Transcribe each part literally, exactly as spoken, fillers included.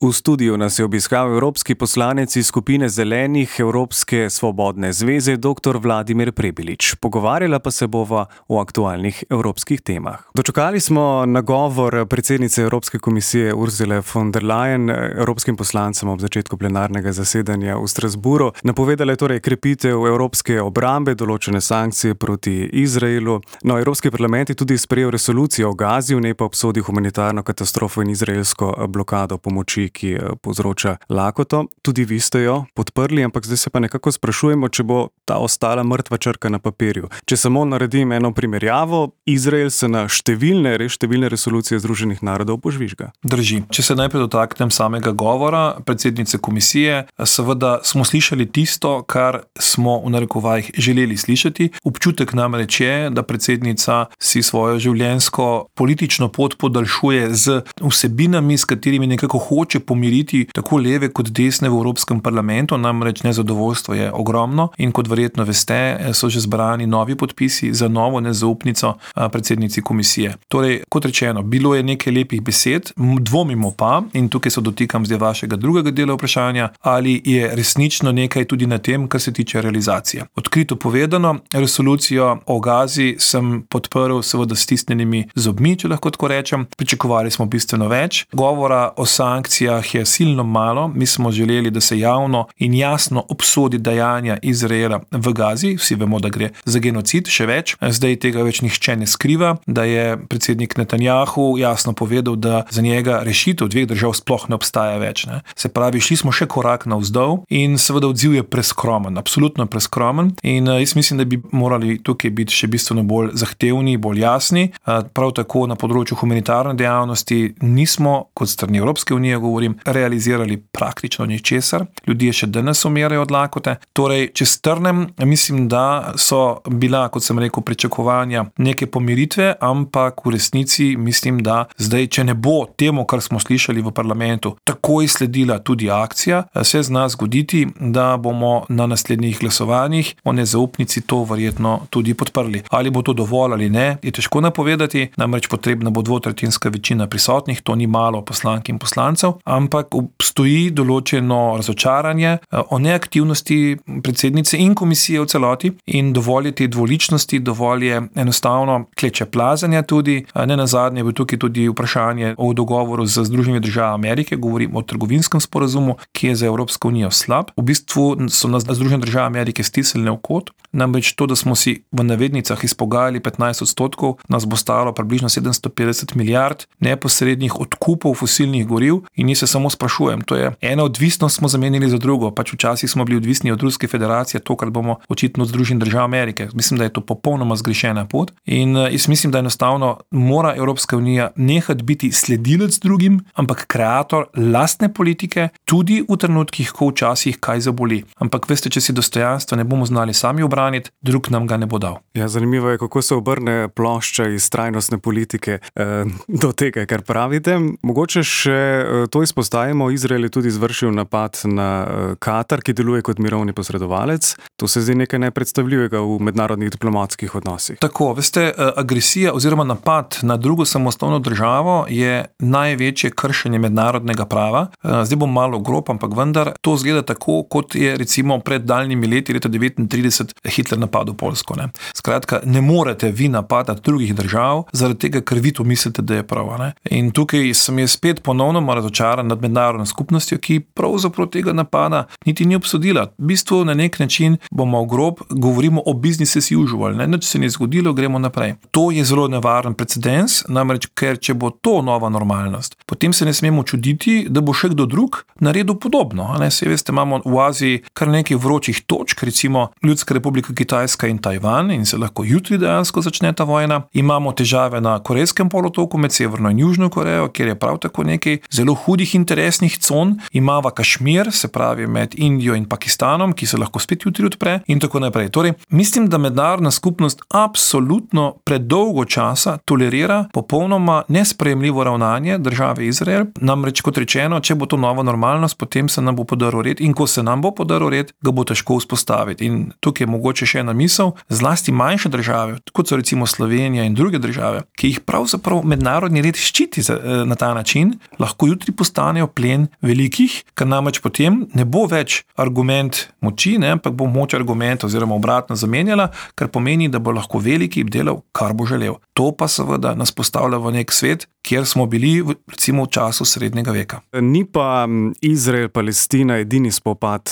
V studiu nas je obiskal evropski poslanec iz skupine Zelenih Evropske svobodne zveze dr. Vladimir Prebilič. Pogovarjala pa se bova o aktualnih evropskih temah. Dočakali smo nagovor predsednice Evropske komisije Ursule von der Leyen evropskim poslancem ob začetku plenarnega zasedanja v Strasbourgu. Napovedala je torej krepitev evropske obrambe, določene sankcije proti Izraelu. No, Evropski parlament je tudi sprejel resolucijo o Gazi, v njej pa obsodil humanitarno katastrofo in izraelsko blokado pomoči, ki povzroča lakoto. Tudi vi ste jo podprli, ampak zdaj se pa nekako sprašujemo, če bo ta ostala mrtva črka na papirju. Če samo naredim eno primerjavo, Izrael se na številne, res številne resolucije Združenih narodov požvižga. Drži. Če se najprej dotaknem samega govora predsednice komisije, seveda smo slišali tisto, kar smo v narekovajih želeli slišati. Občutek namreč je, da predsednica si svojo življenjsko politično pot podaljšuje z vsebinami, s katerimi nekako hoče pomiriti tako leve kot desne v Evropskem parlamentu, namreč nezadovoljstvo je ogromno in kot verjetno veste, so že zbrani novi podpisi za novo nezaupnico predsednici komisije. Torej, kot rečeno, bilo je nekaj lepih besed, dvomimo pa, in tukaj se dotikam zdaj vašega drugega dela vprašanja, ali je resnično nekaj tudi na tem, kar se tiče realizacije. Odkrito povedano, resolucijo o Gazi sem podprl seveda s stisnjenimi zobmi, če lahko tako rečem. Pričakovali smo bistveno več. Govora o sankcijah je silno malo. Mi smo želeli, da se javno in jasno obsodi dejanja Izraela v Gazi. Vsi vemo, da gre za genocid, še več. Zdaj tega več nihče ne skriva, da je predsednik Netanjahu jasno povedal, da za njega rešitev dveh držav sploh ne obstaja več. Ne. Se pravi, šli smo še korak navzdol in seveda odziv je preskromen, absolutno preskromen in jaz mislim, da bi morali tukaj biti še bistveno bolj zahtevni, bolj jasni. Prav tako na področju humanitarne dejavnosti nismo, kot strani Evropske unije govorim, realizirali praktično ničesar. Ljudje še danes umirajo od lakote. Torej, če strnem, mislim, da so bila, kot sem rekel, pričakovanja neke pomiritve, ampak v resnici mislim, da zdaj, če ne bo temu, kar smo slišali v parlamentu, takoj sledila tudi akcija, se zna zgoditi, da bomo na naslednjih glasovanjih o nezaupnici to verjetno tudi podprli. Ali bo to dovolj ali ne, je težko napovedati, namreč potrebna bo dvotretjinska večina prisotnih, to ni malo poslank in poslancev, ampak obstoji določeno razočaranje o neaktivnosti predsednice in komisije v celoti in dovolj je te dvoličnosti, dovolj je enostavno kleče plazanja tudi. Ne nazadnje je tukaj tudi vprašanje o dogovoru z Združenimi državami Amerike, govorim o trgovinskem sporazumu, ki je za Evropsko unijo slab. V bistvu so nas Združene države Amerike stisnile v kot, namreč to, da smo si v navednicah izpogajali petnajst odstotkov, nas bo stalo približno sedemsto petdeset milijard neposrednih odkupov fosilnih goriv in jaz se samo sprašujem, to je ena odvisnost smo zamenili za drugo, pač včasih smo bili odvisni od Ruske federacije, tokrat bomo očitno od Združenih držav Amerike. Mislim, da je to popolnoma zgrešena pot in jaz mislim, da enostavno mora Evropska unija nehati biti sledilec drugim, ampak kreator lastne politike, tudi v trenutkih, ko včasih kaj zaboli. Ampak veste, če si dostojanstva ne bomo znali sami obraniti, drug nam ga ne bo dal. Ja, zanimivo je, kako se obrne plošča iz trajnostne politike eh, do tega, kar pravite. Mogoče še eh, to izpostavimo, Izrael je tudi izvršil napad na eh, Katar, ki deluje kot mirovni posredovalec. To se zdi nekaj nepredstavljivega v mednarodnih diplomatskih odnosih. Tako, veste, agresija oziroma napad na drugo samostojno državo je največje kršenje mednarodnega prava. Zdaj bom malo grob, ampak vendar to zgleda tako, kot je recimo pred daljnimi leti, leta devetintrideset, Hitler napadel Poljsko. Ne. Skratka, ne morete vi napadati drugih držav zaradi tega, ker vi to mislite, da je prav. Ne. In tukaj sem jaz spet ponovno razočaran nad mednarodno skupnostjo, ki pravzaprav tega napada niti ni obsodila. V bistvu na nek način bomo grob, govorimo o business as usual. Ne. Nič se ni zgodilo, gremo naprej. To je zelo nevaren precedens, namreč ker če bo to nova normalnost, potem se ne smemo čuditi, da bo še kdo drug naredil podobno. Ne. Saj veste, imamo v Aziji kar nekaj vročih točk, recimo Ljudska republika Kitajska in Tajvan in se lahko jutri dejansko začne ta vojna. Imamo težave na Korejskem polotoku med Severno in Južno Korejo, kjer je prav tako nekaj zelo hudih interesnih con. Imava Kašmir, se pravi med Indijo in Pakistanom, ki se lahko spet jutri odpre in tako naprej. Torej, mislim, da mednarodna skupnost absolutno predolgo časa tolerira popolnoma nesprejemljivo ravnanje države Izrael. Namreč, kot rečeno, če bo to nova normalnost, potem se nam bo podaril red in ko se nam bo podaril red, ga bo težko vzpostaviti. In tukaj je mogoče še ena misel, zlasti manjše države, kot so recimo Slovenija in druge države, ki jih pravzaprav mednarodni red ščiti na ta način, lahko jutri postanejo plen velikih, ker namreč potem ne bo več argument moči, ne, ampak bo moč argumenta oziroma obratno zamenjala, kar pomeni, da bo lahko veliki delal, kar bo želel. To pa seveda nas postavlja v nek svet, kjer smo bili recimo v času srednjega veka. Ni pa Izrael, Palestina edini spopad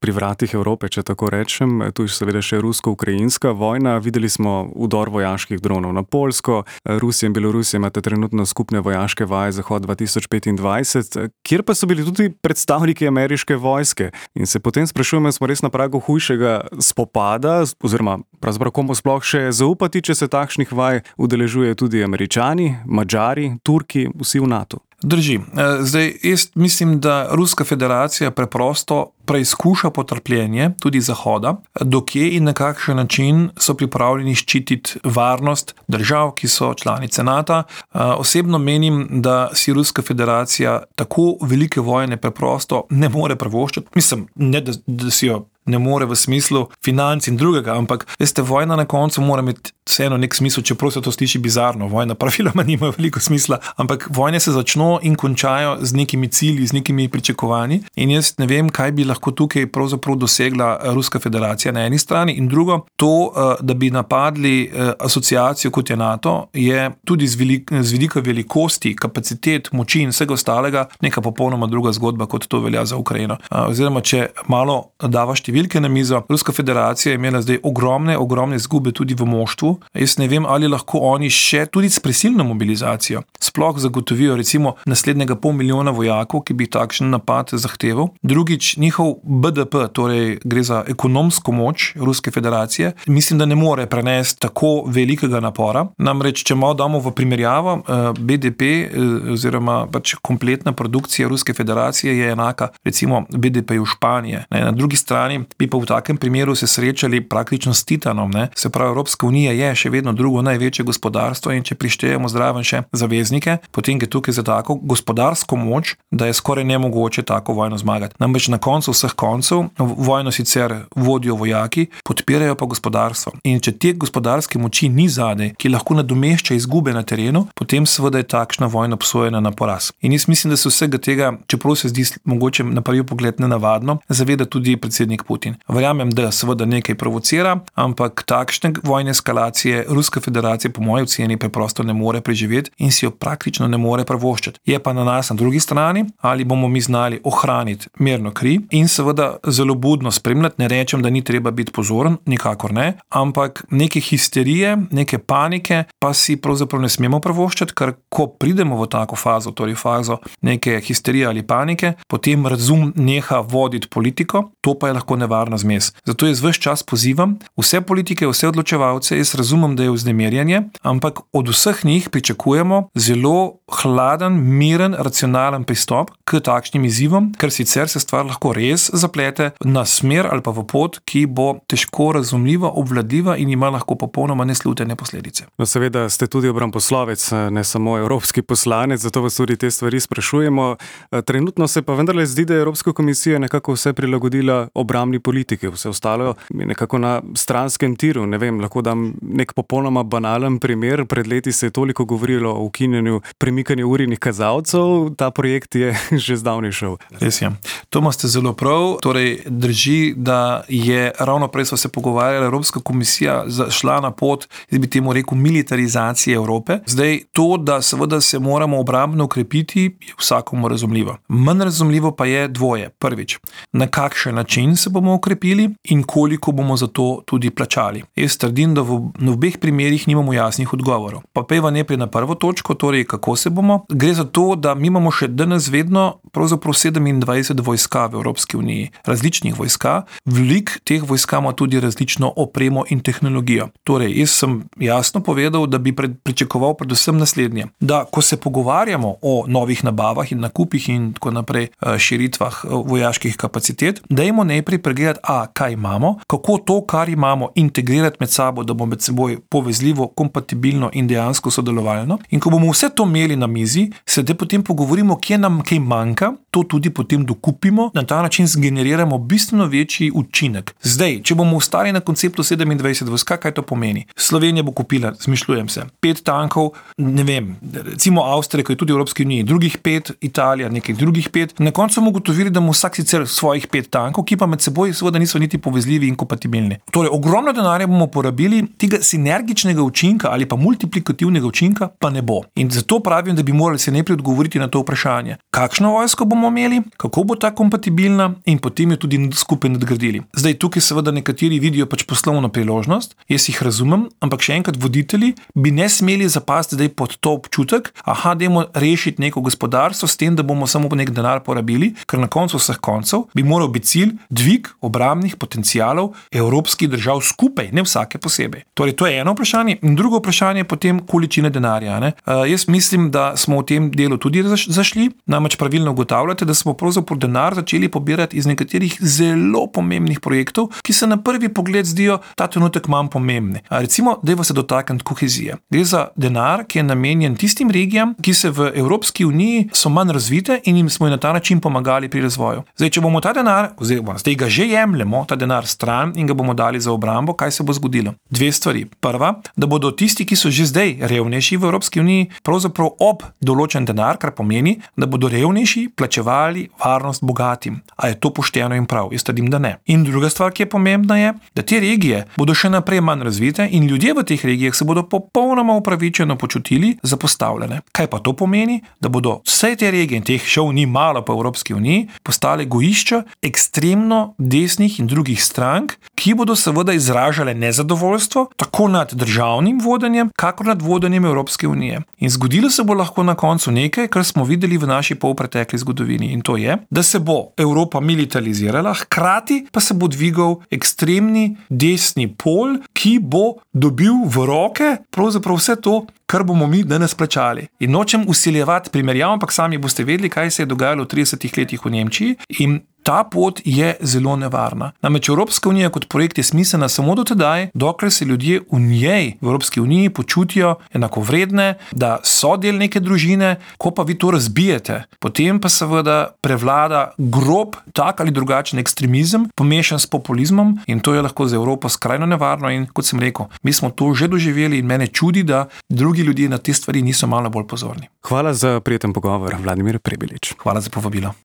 pri vratih Evrope, če tako rečem. Tu je seveda še rusko-ukrajinska vojna. Videli smo vdor vojaških dronov na Poljsko. Rusija in Belorusija imata trenutno skupne vojaške vaje Zahod dva tisoč petindvajset, kjer pa so bili tudi predstavniki ameriške vojske. In se potem sprašujemo, smo res na pragu hujšega spopada, oziroma pravzaprav komu sploh še zaupati, če se takšnih vaj udeležujejo tudi Američani, Madžari, Turki, vsi v NATO. Drži. Zdaj, jaz mislim, da Ruska federacija preprosto preizkuša potrpljenje tudi Zahoda, dokje in na kakšen način so pripravljeni ščititi varnost držav, ki so članice NATO. Osebno menim, da si Ruska federacija tako velike vojne preprosto ne more privoščiti. Mislim, ne da, da si jo ne more v smislu financ in drugega, ampak veste, vojna na koncu mora imeti vseeno nek smisel, čeprav se to sliši bizarno. Vojna praviloma nima veliko smisla, ampak vojne se začno in končajo z nekimi cilji, z nekimi pričakovanji in jaz ne vem, kaj bi lahko tukaj pravzaprav dosegla Ruska federacija na eni strani in drugo, to, da bi napadli asociacijo kot je NATO, je tudi z, velik, z velika velikosti, kapacitet, moči in vsega ostalega neka popolnoma druga zgodba, kot to velja za Ukrajino. Oziroma, če malo davaš številke na mizo, Ruska federacija je imela zdaj ogromne, ogromne izgube tudi v moštvu. Jaz ne vem, ali lahko oni še tudi s prisilno mobilizacijo sploh zagotovijo recimo naslednjega pol milijona vojakov, ki bi takšen napad zahteval. Drugič, njihov B D P, torej gre za ekonomsko moč Ruske federacije, mislim, da ne more prenesti tako velikega napora. Namreč, če malo damo v primerjavo, B D P oziroma pač kompletna produkcija Ruske federacije je enaka recimo B D P-ju Španije. Na drugi strani bi pa v takem primeru se srečali praktično s Titanom. Ne? Se pravi, Evropska unija je še vedno drugo največje gospodarstvo in če prištejemo zraven še zaveznike, potem je tukaj za tako gospodarsko moč, da je skoraj nemogoče tako vojno zmagati. Namreč na koncu vseh koncev vojno sicer vodijo vojaki, podpirajo pa gospodarstvo. In če te gospodarske moči ni zadej, ki lahko nadomešča izgube na terenu, potem seveda je takšna vojna obsojena na poraz. In jaz mislim, da se vsega tega, čeprav se zdi mogoče na prvi pogled nenavadno, zaveda tudi predsednik Putin. Verjamem, da seveda nekaj provocira, ampak takšne vojne eskalacije Ruska federacija po moji oceni preprosto ne more preživeti in si jo praktično ne more privoščiti. Je pa na nas na drugi strani, ali bomo mi znali ohraniti mirno kri in seveda zelo budno spremljati. Ne rečem, da ni treba biti pozoren, nikakor ne, ampak neke histerije, neke panike pa si pravzaprav ne smemo privoščiti, ker ko pridemo v tako fazo, torej fazo neke histerije ali panike, potem razum neha voditi politiko, to pa je lahko nevarna zmes. Zato jaz ves čas pozivam vse politike, vse odločevalce, jaz razumem, da je vznemirjanje, ampak od vseh njih pričakujemo zelo hladen, miren, racionalen pristop k takšnim izzivom, ker sicer se stvar lahko res zaplete na smer ali pa v pot, ki bo težko razumljiva, obvladljiva in ima lahko popolnoma neslutene posledice. No, seveda ste tudi obramboslovec, ne samo evropski poslanec, zato vas tudi te stvari sprašujemo. Trenutno se pa vendarle zdi, da je Evropska komisija nekako vse prilagodila obrambni politiki, vse ostalo je nekako na stranskem tiru. Ne vem, lahko dam nek popolnoma banalen primer. Pred leti se je toliko govorilo o ukinjanju premikanja urnih kazalcev, ta projekt je že zdavnaj šel. Res je. To imate zelo prav. Torej, drži, da je ravno prej so se pogovarjali, Evropska komisija šla na pot, jaz bi temu rekel, militarizacije Evrope. Zdaj, to, da seveda se moramo obrambno ukrepiti, je vsakomu razumljivo. Manj razumljivo pa je dvoje. Prvič, na kakšen način se bomo ukrepili in koliko bomo za to tudi plačali. Jaz trdim, da v, v obeh primerih nimamo jasnih odgovorov. Pa peva najprej na prvo točko, torej kako se bomo. Gre za to, da mi imamo še danes vedno pravzaprav sedemindvajset vojska v Evropski uniji, različnih vojska. Velik teh vojska ima tudi različno opremo in tehnologijo. Torej, jaz sem jasno povedal, da bi pred, pričakoval predvsem naslednje, da ko se pogovarjamo o novih nabavah in nakupih in tako naprej širitvah vojaških kapacitet, dajmo najprej pregledati, a, kaj imamo, kako to, kar imamo, integrirati med sabo, da bo med seboj povezljivo, kompatibilno in dejansko sodelovalno. In ko bomo vse to imeli na mizi, se da potem pogovorimo, kje nam kaj manjka, to tudi potem dokupimo, na ta način zgeneriramo bistveno večji učinek. Zdaj, če bomo ostali na konceptu sedemindvajset vojska, kaj to pomeni? Slovenija bo kupila, zmišljujem se, pet tankov, ne vem, recimo Avstrija, ki je tudi v Evropski uniji, drugih pet, Italija, nekaj drugih pet. Na koncu bomo ugotovili, da ima vsak sicer svojih pet tankov, ki pa med seboj seveda niso niti povezljivi in kompatibilni. Torej, ogromno denarja bomo porabili, tega sinergičnega učinka ali pa multiplikativnega učinka pa ne bo. In zato pravim, da bi morali se najprej odgovoriti na to vprašanje. Kakšno vojsko bomo imeli, kako bo ta kompatibilna in potem jo tudi skupaj nadgradili. Zdaj, tukaj seveda nekateri vidijo pač poslovno priložnost, jaz jih razumem, ampak še enkrat voditelji bi ne smeli zapasti zdaj pod to občutek, aha, dajmo rešiti neko gospodarstvo s tem, da bomo samo nek denar porabili, ker na koncu vseh koncev bi moral biti cilj dvig obrambnih potencialov evropskih držav skupaj, ne vsake posebej. Torej, to je eno vprašanje. In drugo vprašanje je potem količina denarja. Ne? Uh, jaz mislim, da smo v tem delu tudi zašli, namreč pravilno ugotavljate, da smo pravzaprav denar začeli pobirati iz nekaterih zelo pomembnih projektov, ki se na prvi pogled zdijo ta trenutek manj pomembni. Uh, recimo, dajmo se dotakniti kohezije. Gre za denar, ki je namenjen tistim regijam, ki se v Evropski uniji so manj razvite in jim smo na ta način pomagali pri razvoju. Zdaj, če bomo ta denar, oziroma zdaj ga že jemljemo, ta denar stran in ga bomo dali za obrambo, kaj se bo zgodilo? Dve stvari. Prva, da bodo tisti, ki so že zdaj revnejši v Evropski uniji, pravzaprav ob določen denar, kar pomeni, da bodo revnejši plačevali varnost bogatim. A je to pošteno in prav? Jaz trdim, da ne. In druga stvar, ki je pomembna, je, da te regije bodo še naprej manj razvite in ljudje v teh regijah se bodo popolnoma upravičeno počutili zapostavljene. Kaj pa to pomeni? Da bodo vse te regije, in teh šov ni malo po Evropski uniji, postale gojišča ekstremno desnih in drugih strank, ki bodo seveda izražale nezadovoljstvo tako nad državnim vodenjem, kakor nad vodenjem Evropske unije. In zgodilo se bo lahko na koncu nekaj, kar smo videli v naši polpretekli zgodovini. In to je, da se bo Evropa militarizirala, hkrati pa se bo dvigal ekstremni desni pol, ki bo dobil v roke pravzaprav vse to, kar bomo mi danes plačali. In nočem usiljevati primerjav, ampak sami boste vedeli, kaj se je dogajalo v tridesetih letih v Nemčiji in ta pot je zelo nevarna. Namreč Evropska unija kot projekt je smiselna samo do tedaj, dokler se ljudje v njej, v Evropski uniji, počutijo enakovredne, da so del neke družine, ko pa vi to razbijete, potem pa seveda prevlada grob, tak ali drugačen ekstremizem, pomešan s populizmom in to je lahko za Evropo skrajno nevarno in kot sem rekel, mi smo to že doživeli in mene čudi, da drugi ljudje na te stvari niso malo bolj pozorni. Hvala za prijeten pogovor, Vladimir Prebilič. Hvala za povabilo.